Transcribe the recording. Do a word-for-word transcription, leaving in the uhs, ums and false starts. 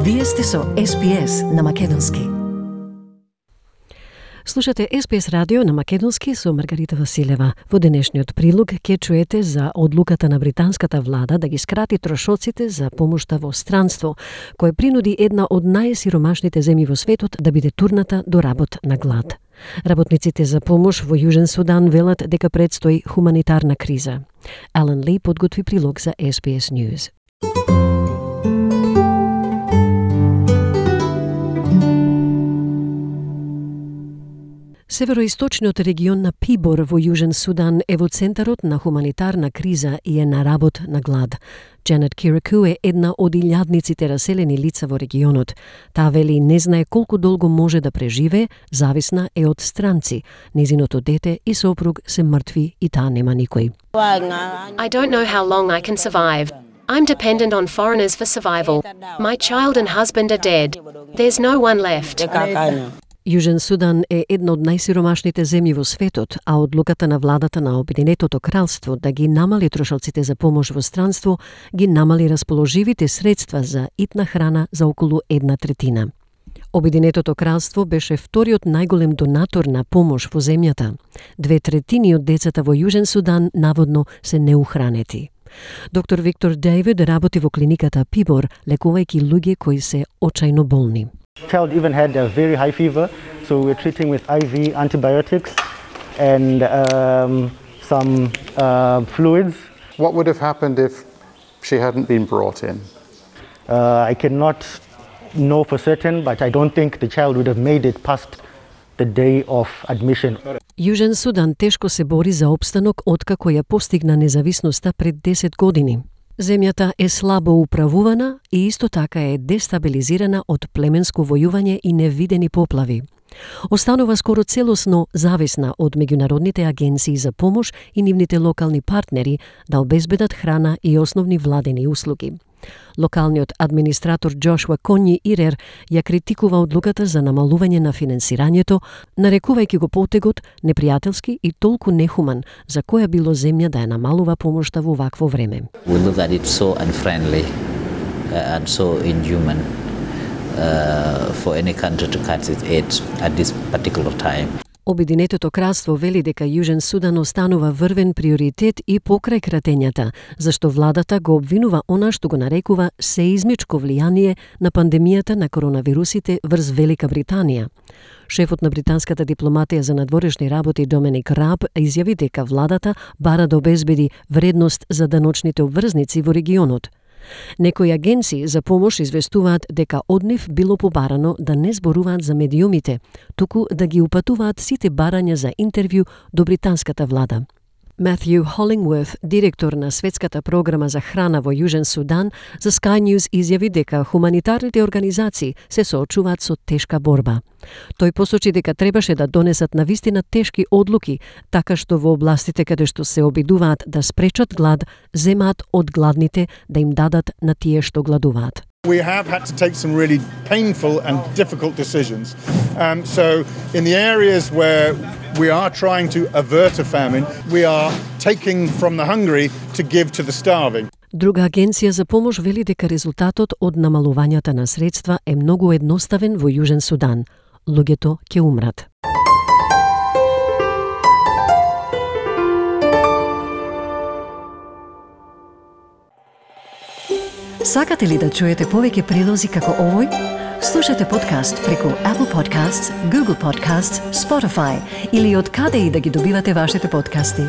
Вие сте со Ес Би Ес на Македонски. Слушате Ес Би Ес радио на Македонски со Маргарита Василева. Во денешниот прилог ќе чуете за одлуката на британската влада да ги скрати трошоците за помошта во странство, кој принуди една од најсиромашните земји во светот да биде турната до работ на глад. Работниците за помош во Јужен Судан велат дека предстои хуманитарна криза. Алан Ли подготви прилог за Ес Би Ес News. Североисточниот регион на Пибор во Јужен Судан е во центарот на хуманитарна криза и е на работ на глад. Джанет Кираку е една од илјадниците раселени лица во регионот. Таа вели не знае колку долго може да преживее, зависна е од странци. Незиното дете и сопруг се мртви и таа нема никој. I don't know how long I can survive. I'm dependent on foreigners for survival. My child and husband are dead. There's no one left. Јужен Судан е една од најсиромашните земји во светот, а одлуката на владата на Обединетото кралство да ги намали трошоците за помош во странство ги намали расположивите средства за итна храна за околу една третина. Обединетото кралство беше вториот најголем донатор на помош во земјата. Две третини од децата во Јужен Судан наводно се неухранети. Доктор Виктор Дейвид работи во клиниката Пибор, лекувајќи луѓе кои се очајно болни. Child even had a very high fever, so we're treating with I V antibiotics and um, some uh, fluids. What would have happened if she hadn't been brought in? Uh, I cannot know for certain, but I don't think the child would have made it past the day of admission. Јужен Судан тешко се бори за опстанок откако ја постигна независноста пред десет години. Земјата е слабо управувана и исто така е дестабилизирана од племенско војување и невидени поплави. Останува скоро целосно зависна од меѓународните агенции за помош и нивните локални партнери да обезбедат храна и основни владени услуги. Локалниот администратор Джошуа Конји Ирер ја критикува одлуката за намалување на финансирањето, нарекувајќи го потегот непријателски и толку нехуман за која било земја да ја намалува помошта во вакво време. We look at it so unfriendly uh, and so inhuman uh, for any country to cut its aid at this particular time. Обединетото кралство вели дека Јужен Судан останува врвен приоритет и покрај кратењата, зашто владата го обвинува она што го нарекува сеизмичко влијание на пандемијата на коронавирусите врз Велика Британија. Шефот на британската дипломатија за надворешни работи Доминик Раб изјави дека владата бара да обезбеди вредност за даночните обврзници во регионот. Некои агенции за помош известуваат дека од нив било побарано да не зборуваат за медиумите, туку да ги упатуваат сите барања за интервју до британската влада. Матју Холингворт, директор на Светската програма за храна во Јужен Судан, за Sky News изјави дека хуманитарните организации се соочуваат со тешка борба. Тој посочи дека требаше да донесат навистина тешки одлуки, така што во областите каде што се обидуваат да спречат глад, земаат од гладните да им дадат на тие што гладуваат. We have had to take some really painful and difficult decisions. Um, so in the areas where we are trying to avert a famine, we are taking from the hungry to give to the starving. Друга агенција за помош вели дека резултатот од намалувањата на средства е многу едноставен во Јужен Судан. Луѓето ќе умрат. Сакате ли да чуете повеќе прилози како овој? Слушате подкаст преку Apple Podcasts, Google Podcasts, Spotify или од каде и да ги добивате вашите подкасти.